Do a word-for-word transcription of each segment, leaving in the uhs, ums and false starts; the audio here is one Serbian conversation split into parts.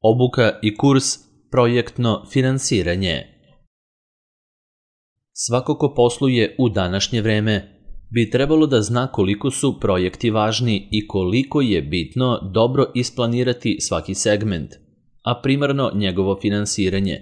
Obuka i kurs projektno finansiranje. Svako ko posluje u današnje vreme bi trebalo da zna koliko su projekti važni i koliko je bitno dobro isplanirati svaki segment, a primarno njegovo finansiranje.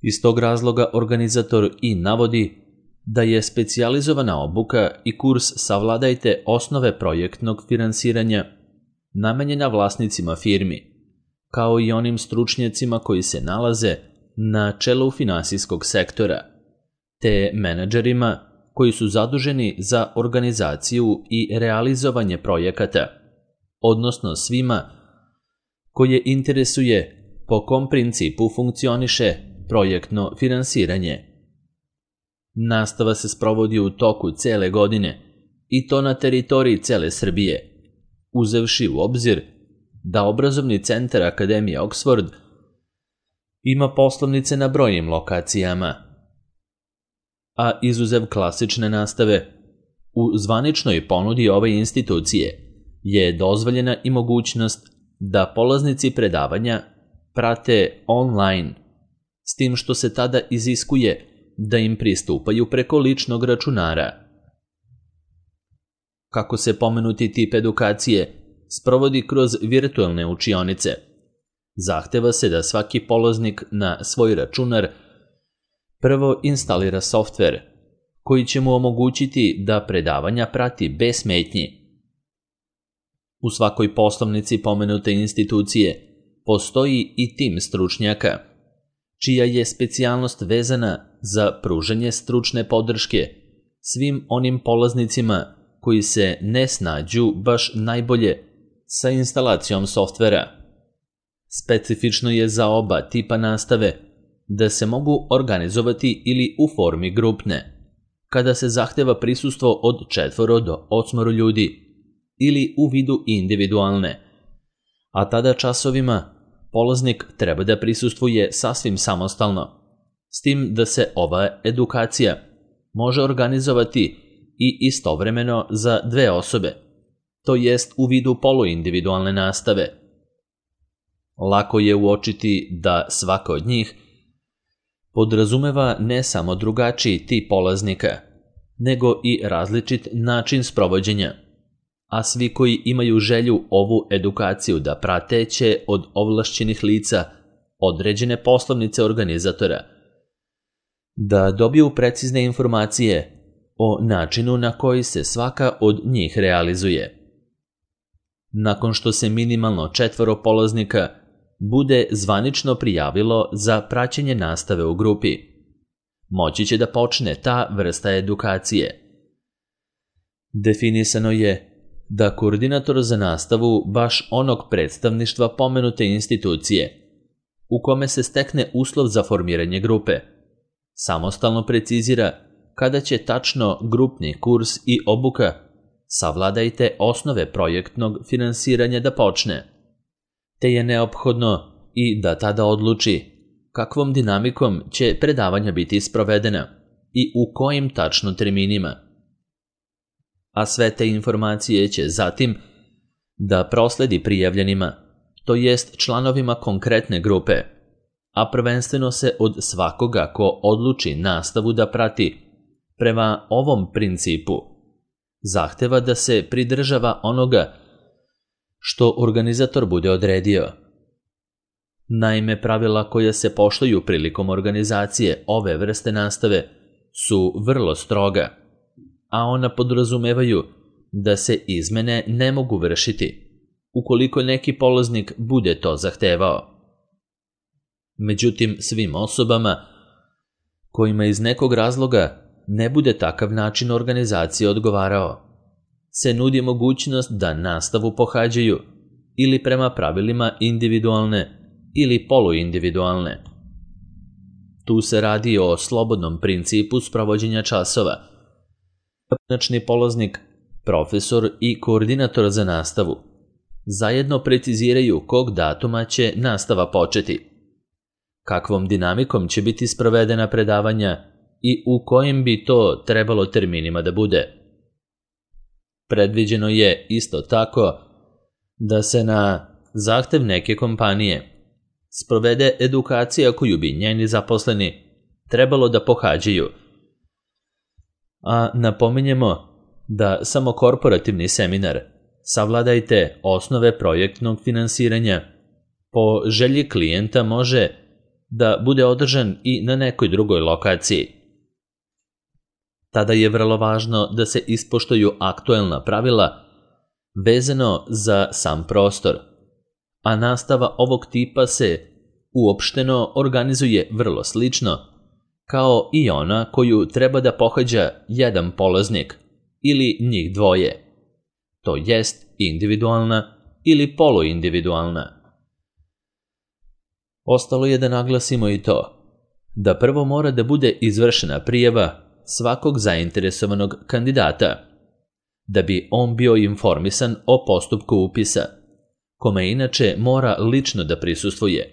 Iz tog razloga organizator i navodi da je specijalizovana obuka i kurs Savladajte osnove projektnog finansiranja namenjena vlasnicima firmi, kao i onim stručnjacima koji se nalaze na čelu finansijskog sektora, te menadžerima koji su zaduženi za organizaciju i realizovanje projekata, odnosno svima koje interesuje po kom principu funkcioniše projektno finansiranje. Nastava se sprovodi u toku cele godine i to na teritoriji cele Srbije, uzevši u obzir da obrazovni centar Akademije Oxford ima poslovnice na brojnim lokacijama, a izuzev klasične nastave, u zvaničnoj ponudi ove institucije je dozvoljena i mogućnost da polaznici predavanja prate online, s tim što se tada iziskuje da im pristupaju preko ličnog računara. Kako se pomenuti tip edukacije sprovodi kroz virtualne učionice, zahteva se da svaki polaznik na svoj računar prvo instalira softver koji će mu omogućiti da predavanja prati bez smetnji. U svakoj poslovnici pomenute institucije postoji i tim stručnjaka, čija je specijalnost vezana za pružanje stručne podrške svim onim polaznicima koji se ne snađu baš najbolje sa instalacijom softvera. Specifično je za oba tipa nastave da se mogu organizovati ili u formi grupne, kada se zahteva prisustvo od četvoro do osmoro ljudi, ili u vidu individualne, a tada časovima polaznik treba da prisustvuje sasvim samostalno, s tim da se ova edukacija može organizovati i istovremeno za dve osobe, to jest u vidu poluindividualne nastave. Lako je uočiti da svaka od njih podrazumeva ne samo drugačiji tip polaznika, nego i različit način sprovođenja, a svi koji imaju želju ovu edukaciju da prate će od ovlašćenih lica određene poslovnice organizatora da dobiju precizne informacije o načinu na koji se svaka od njih realizuje. Nakon što se minimalno četvoro polaznika bude zvanično prijavilo za praćenje nastave u grupi, moći će da počne ta vrsta edukacije. Definisano je da koordinator za nastavu baš onog predstavništva pomenute institucije, u kome se stekne uslov za formiranje grupe, samostalno precizira kada će tačno grupni kurs i obuka Savladajte osnove projektnog finansiranja da počne, te je neophodno i da tada odluči kakvom dinamikom će predavanja biti sprovedena i u kojim tačno terminima. A sve te informacije će zatim da prosledi prijavljenima, to jest članovima konkretne grupe, a prvenstveno se od svakoga ko odluči nastavu da prati prema ovom principu zahteva da se pridržava onoga što organizator bude odredio. Naime, pravila koja se poštuju prilikom organizacije ove vrste nastave su vrlo stroga, a ona podrazumevaju da se izmene ne mogu vršiti ukoliko neki polaznik bude to zahtevao. Međutim, svim osobama kojima iz nekog razloga ne bude takav način organizacije odgovarao, se nudi mogućnost da nastavu pohađaju ili prema pravilima individualne ili poluindividualne. Tu se radi o slobodnom principu sprovođenja časova. Pojedinačni polaznik, profesor i koordinator za nastavu zajedno preciziraju kog datuma će nastava početi, kakvom dinamikom će biti sprovedena predavanja i u kojim bi to trebalo terminima da bude. Predviđeno je isto tako da se na zahtev neke kompanije, sprovede edukacija koju bi njeni zaposleni trebalo da pohađaju. A napominjemo da samo korporativni seminar Savladajte osnove projektnog finansiranja po želji klijenta može da bude održan i na nekoj drugoj lokaciji. Tada je vrlo važno da se ispoštuju aktuelna pravila vezano za sam prostor, a nastava ovog tipa se uopšteno organizuje vrlo slično kao i ona koju treba da pohađa jedan polaznik ili njih dvoje, to jest individualna ili poluindividualna. Ostalo je da naglasimo i to da prvo mora da bude izvršena prijava svakog zainteresovanog kandidata, da bi on bio informisan o postupku upisa, kome inače mora lično da prisustvuje,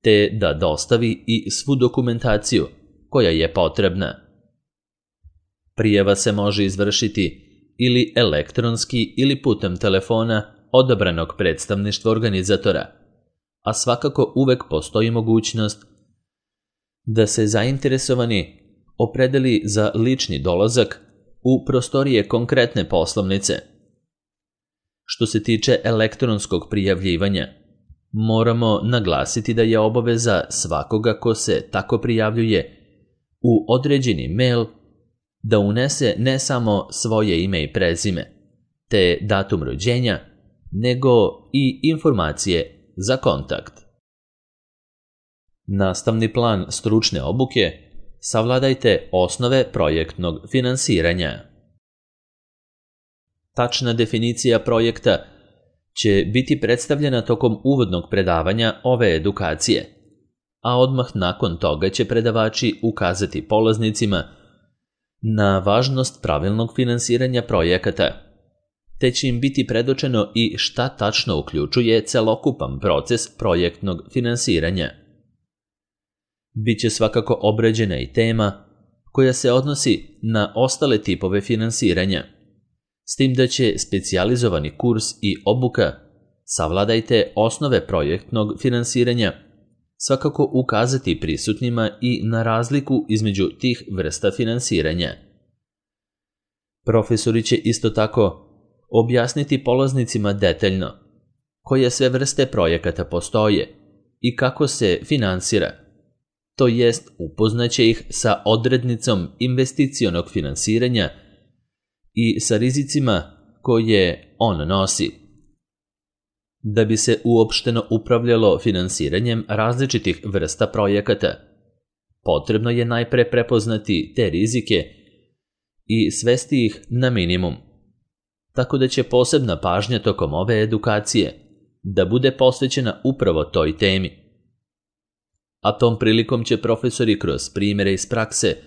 te da dostavi i svu dokumentaciju koja je potrebna. Prijava se može izvršiti ili elektronski ili putem telefona odabranog predstavništva organizatora, a svakako uvek postoji mogućnost da se zainteresovani opredeli za lični dolazak u prostorije konkretne poslovnice. Što se tiče elektronskog prijavljivanja, moramo naglasiti da je obaveza svakoga ko se tako prijavljuje u određeni mail da unese ne samo svoje ime i prezime, te datum rođenja, nego i informacije za kontakt. Nastavni plan stručne obuke savladajte osnove projektnog finansiranja. Tačna definicija projekta će biti predstavljena tokom uvodnog predavanja ove edukacije, a odmah nakon toga će predavači ukazati polaznicima na važnost pravilnog finansiranja projekata, te će im biti predočeno i šta tačno uključuje celokupan proces projektnog finansiranja. Biće svakako obrađena i tema koja se odnosi na ostale tipove finansiranja, s tim da će specijalizovani kurs i obuka Savladajte osnove projektnog finansiranja svakako ukazati prisutnima i na razliku između tih vrsta finansiranja. Profesori će isto tako objasniti polaznicima detaljno koje sve vrste projekata postoje i kako se finansira, to jest upoznaće ih sa odrednicom investicionog finansiranja i sa rizicima koje on nosi. Da bi se uopšteno upravljalo finansiranjem različitih vrsta projekata, potrebno je najpre prepoznati te rizike i svesti ih na minimum, tako da će posebna pažnja tokom ove edukacije da bude posvećena upravo toj temi. A tom prilikom će profesori kroz primjere iz prakse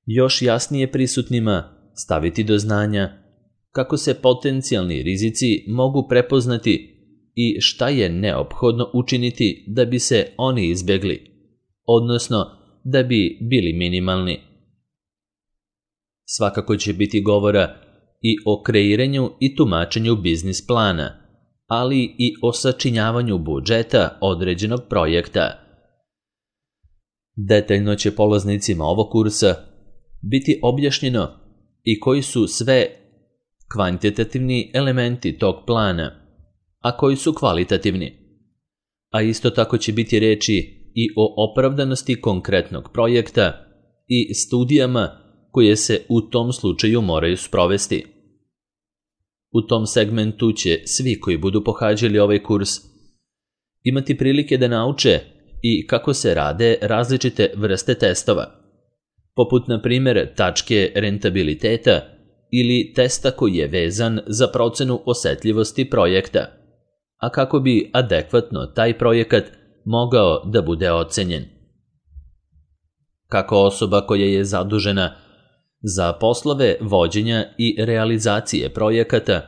još jasnije prisutnima staviti do znanja kako se potencijalni rizici mogu prepoznati i šta je neophodno učiniti da bi se oni izbjegli, odnosno da bi bili minimalni. Svakako će biti govora i o kreiranju i tumačenju biznis plana, ali i o sačinjavanju budžeta određenog projekta. Detaljno će polaznicima ovog kursa biti objašnjeno i koji su sve kvantitativni elementi tog plana, a koji su kvalitativni. A isto tako će biti reči i o opravdanosti konkretnog projekta i studijama koje se u tom slučaju moraju sprovesti. U tom segmentu će svi koji budu pohađali ovaj kurs imati prilike da nauče i kako se rade različite vrste testova, poput na primjer tačke rentabiliteta ili testa koji je vezan za procenu osetljivosti projekta, a kako bi adekvatno taj projekat mogao da bude ocenjen. Kako osoba koja je zadužena za poslove vođenja i realizacije projekata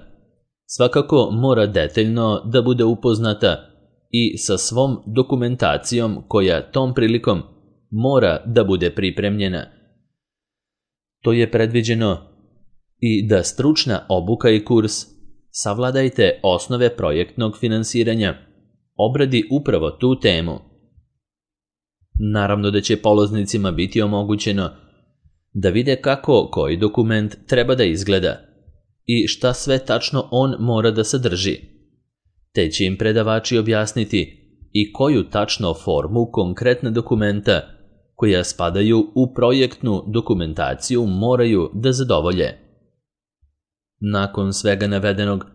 svakako mora detaljno da bude upoznata i sa svom dokumentacijom koja tom prilikom mora da bude pripremljena. To je predviđeno i da stručna obuka i kurs Savladajte osnove projektnog finansiranja obradi upravo tu temu. Naravno da će polaznicima biti omogućeno da vide kako koji dokument treba da izgleda i šta sve tačno on mora da sadrži, te će im predavači objasniti i koju tačno formu konkretna dokumenta koja spadaju u projektnu dokumentaciju moraju da zadovolje. Nakon svega navedenog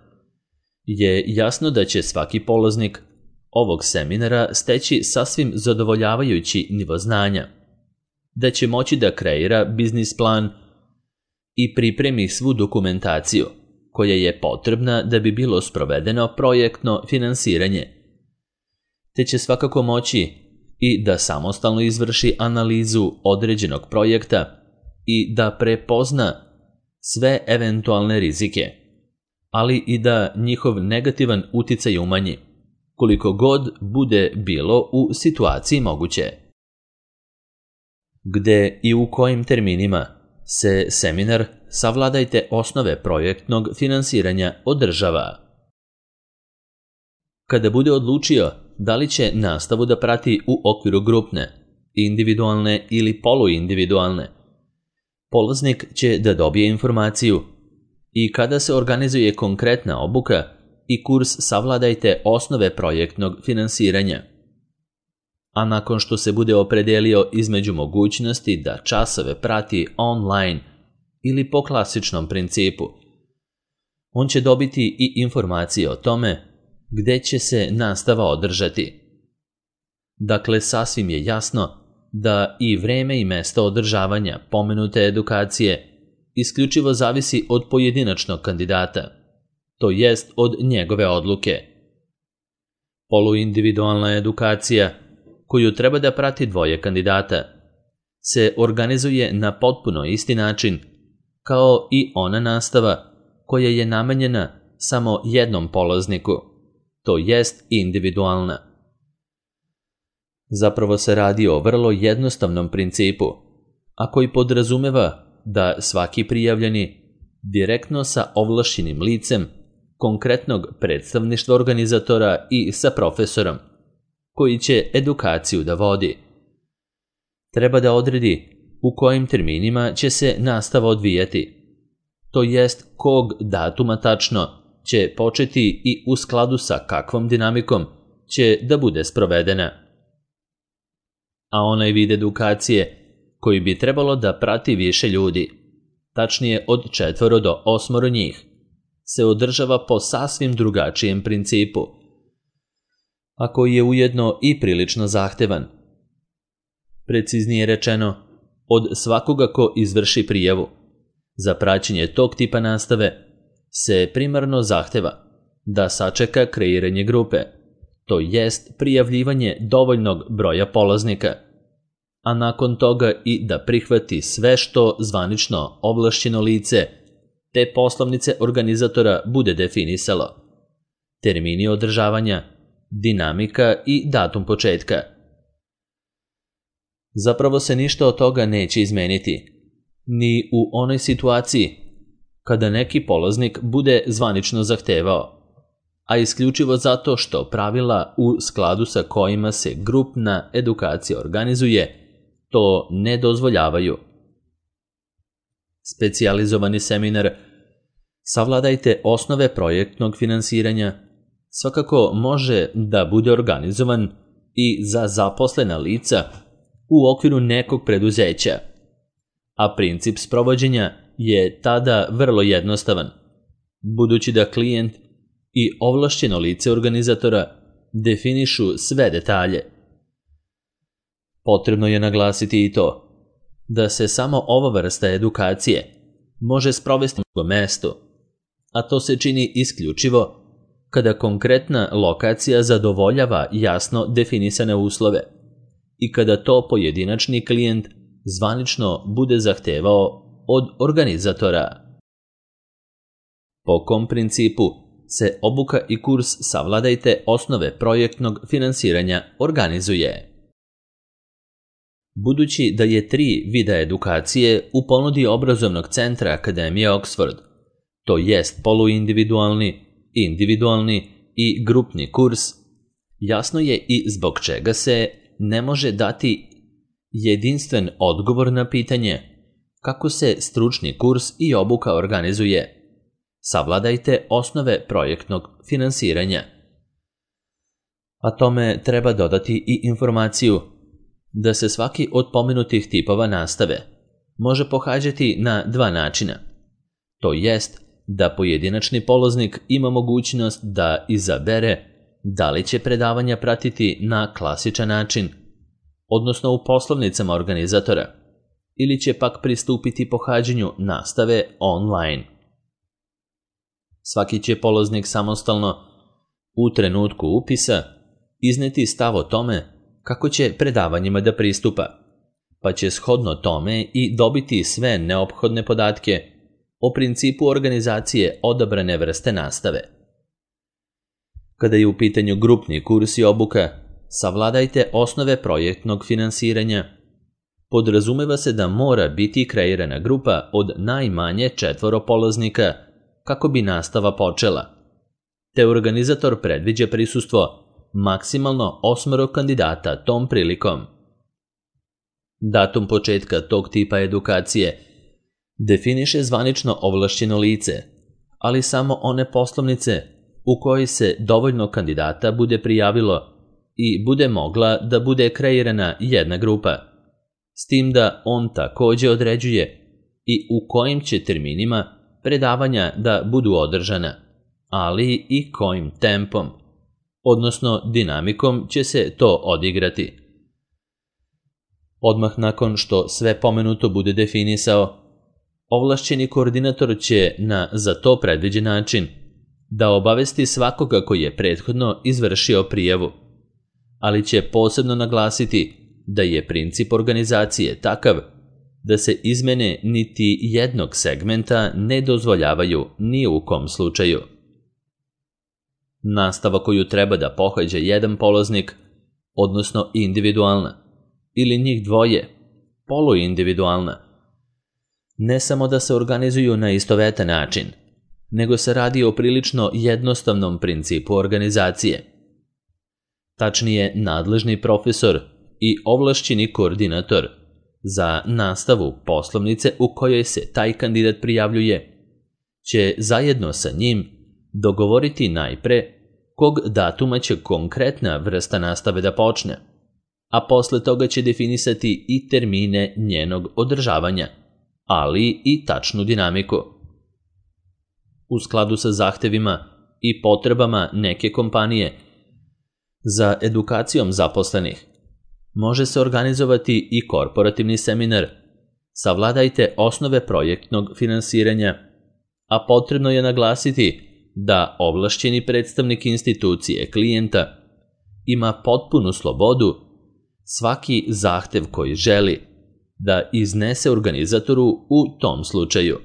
je jasno da će svaki polaznik ovog seminara steći sasvim zadovoljavajući nivo znanja, da će moći da kreira biznis plan i pripremi svu dokumentaciju koja je potrebna da bi bilo sprovedeno projektno finansiranje, te će svakako moći i da samostalno izvrši analizu određenog projekta i da prepozna sve eventualne rizike, ali i da njihov negativan uticaj umanji, koliko god bude bilo u situaciji moguće. Gde i u kojim terminima se seminar Savladajte osnove projektnog finansiranja održava? Kada bude odlučio da li će nastavu da prati u okviru grupne, individualne ili poluindividualne, polaznik će da dobije informaciju i kada se organizuje konkretna obuka i kurs Savladajte osnove projektnog finansiranja. A nakon što se bude opredelio između mogućnosti da časove prati online ili po klasičnom principu, on će dobiti i informacije o tome gde će se nastava održati. Dakle, sasvim je jasno da i vreme i mesto održavanja pomenute edukacije isključivo zavisi od pojedinačnog kandidata, to jest od njegove odluke. Poluindividualna edukacija, koju treba da prati dvoje kandidata, se organizuje na potpuno isti način kao i ona nastava koja je namenjena samo jednom polazniku, to jest individualna. Zapravo se radi o vrlo jednostavnom principu, a koji podrazumeva da svaki prijavljeni direktno sa ovlašćenim licem konkretnog predstavništva organizatora i sa profesorom, koji će edukaciju da vodi, treba da odredi u kojim terminima će se nastava odvijati, to jest kog datuma tačno će početi i u skladu sa kakvom dinamikom će da bude sprovedena. A onaj vid edukacije koji bi trebalo da prati više ljudi, tačnije od četvoro do osmoro njih, se održava po sasvim drugačijem principu, a koji je ujedno i prilično zahtevan. Preciznije rečeno, od svakoga ko izvrši prijavu za praćenje tog tipa nastave se primarno zahteva da sačeka kreiranje grupe, to jest prijavljivanje dovoljnog broja polaznika, a nakon toga i da prihvati sve što zvanično ovlašćeno lice te poslovnice organizatora bude definisalo, termini održavanja, dinamika i datum početka. Zapravo se ništa od toga neće izmeniti, ni u onoj situaciji kada neki polaznik bude zvanično zahtevao, a isključivo zato što pravila u skladu sa kojima se grupna edukacija organizuje to ne dozvoljavaju. Specijalizovani seminar Savladajte osnove projektnog finansiranja svakako može da bude organizovan i za zaposlena lica u okviru nekog preduzeća, a princip sprovođenja je tada vrlo jednostavan, budući da klijent i ovlašćeno lice organizatora definišu sve detalje. Potrebno je naglasiti i to da se samo ova vrsta edukacije može sprovesti na mestu, a to se čini isključivo kada konkretna lokacija zadovoljava jasno definisane uslove i kada to pojedinačni klijent zvanično bude zahtevao od organizatora. Po kom principu se obuka i kurs Savladajte osnove projektnog finansiranja organizuje? Budući da je tri vida edukacije u ponudi obrazovnog centra Akademije Oxford, to jest poluindividualni, individualni i grupni kurs, jasno je i zbog čega se ne može dati jedinstven odgovor na pitanje kako se stručni kurs i obuka organizuje. Savladajte osnove projektnog finansiranja. A tome treba dodati i informaciju da se svaki od pomenutih tipova nastave može pohađati na dva načina. To jest da pojedinačni polaznik ima mogućnost da izabere da li će predavanja pratiti na klasičan način, odnosno u poslovnicama organizatora, ili će pak pristupiti pohađanju nastave online. Svaki će polaznik samostalno, u trenutku upisa, izneti stav o tome kako će predavanjima da pristupa, pa će shodno tome i dobiti sve neophodne podatke o principu organizacije odabrane vrste nastave. Kada je u pitanju grupni kurs i obuka, savladajte osnove projektnog finansiranja. Podrazumeva se da mora biti kreirana grupa od najmanje četvoro polaznika kako bi nastava počela, te organizator predviđa prisustvo maksimalno osmoro kandidata tom prilikom. Datum početka tog tipa edukacije definiše zvanično ovlašćeno lice, ali samo one poslovnice u kojoj se dovoljno kandidata bude prijavilo i bude mogla da bude kreirana jedna grupa, s tim da on takođe određuje i u kojim će terminima predavanja da budu održana, ali i kojim tempom, odnosno dinamikom će se to odigrati. Odmah nakon što sve pomenuto bude definisao, ovlašćeni koordinator će na za to predviđen način da obavesti svakoga koji je prethodno izvršio prijavu, ali će posebno naglasiti da je princip organizacije takav da se izmene niti jednog segmenta ne dozvoljavaju ni u kom slučaju. Nastava koju treba da pohađa jedan polaznik, odnosno individualna, ili njih dvoje, poluindividualna, ne samo da se organizuju na istovetan način, nego se radi o prilično jednostavnom principu organizacije. Tačnije, nadležni profesor i ovlašćeni koordinator za nastavu poslovnice u kojoj se taj kandidat prijavljuje će zajedno sa njim dogovoriti najpre kog datuma će konkretna vrsta nastave da počne, a posle toga će definisati i termine njenog održavanja, ali i tačnu dinamiku. U skladu sa zahtevima i potrebama neke kompanije za edukacijom zaposlenih, može se organizovati i korporativni seminar Savladajte osnove projektnog finansiranja, a potrebno je naglasiti da ovlašćeni predstavnik institucije klijenta ima potpunu slobodu svaki zahtev koji želi da iznese organizatoru u tom slučaju.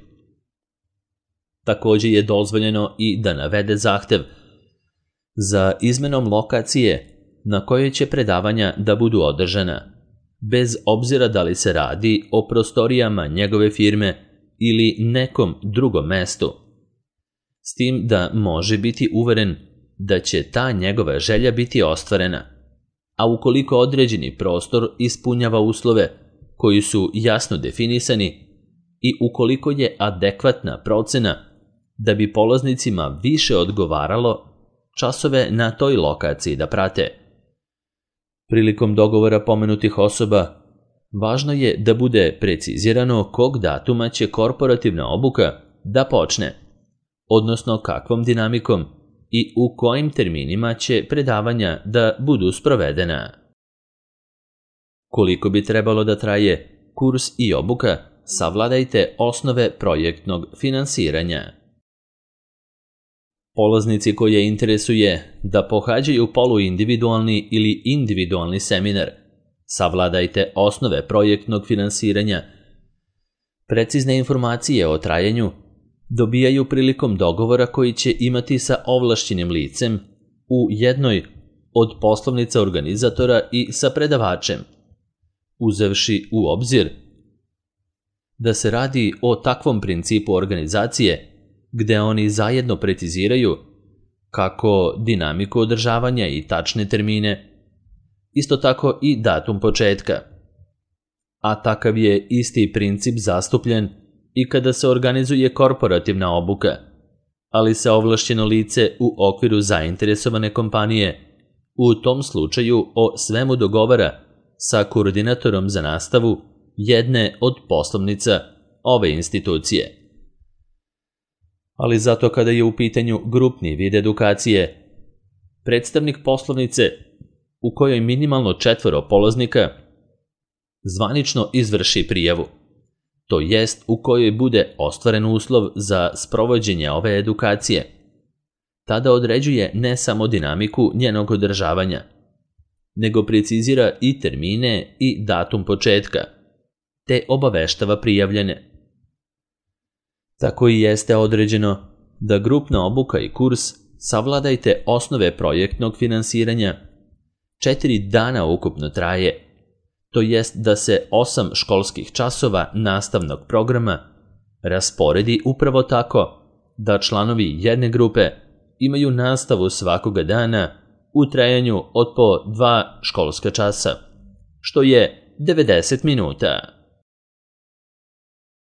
Takođe je dozvoljeno i da navede zahtev za izmenom lokacije na kojoj će predavanja da budu održana, bez obzira da li se radi o prostorijama njegove firme ili nekom drugom mestu, s tim da može biti uveren da će ta njegova želja biti ostvarena, a ukoliko određeni prostor ispunjava uslove koji su jasno definisani i ukoliko je adekvatna procena da bi polaznicima više odgovaralo časove na toj lokaciji da prate. Prilikom dogovora pomenutih osoba, važno je da bude precizirano kog datuma će korporativna obuka da počne, odnosno kakvom dinamikom i u kojim terminima će predavanja da budu sprovedena. Koliko bi trebalo da traje kurs i obuka, savladajte osnove projektnog finansiranja. Polaznici koje interesuje da pohađaju poluindividualni ili individualni seminar, savladajte osnove projektnog finansiranja. Precizne informacije o trajanju dobijaju prilikom dogovora koji će imati sa ovlašćenim licem u jednoj od poslovnica organizatora i sa predavačem, uzevši u obzir da se radi o takvom principu organizacije gde oni zajedno preciziraju kako dinamiku održavanja i tačne termine, isto tako i datum početka. A takav je isti princip zastupljen i kada se organizuje korporativna obuka, ali se ovlašćeno lice u okviru zainteresovane kompanije u tom slučaju o svemu dogovara sa koordinatorom za nastavu jedne od poslovnica ove institucije. Ali zato kada je u pitanju grupni vid edukacije, predstavnik poslovnice u kojoj minimalno četvoro polaznika zvanično izvrši prijavu, to jest u kojoj bude ostvaren uslov za sprovođenje ove edukacije, tada određuje ne samo dinamiku njenog održavanja, nego precizira i termine i datum početka, te obaveštava prijavljene. Tako i jeste određeno da grupna obuka i kurs savladajte osnove projektnog finansiranja četiri dana ukupno traje, to jest da se osam školskih časova nastavnog programa rasporedi upravo tako da članovi jedne grupe imaju nastavu svakoga dana u trajanju od po dva školska časa, što je devedeset minuta.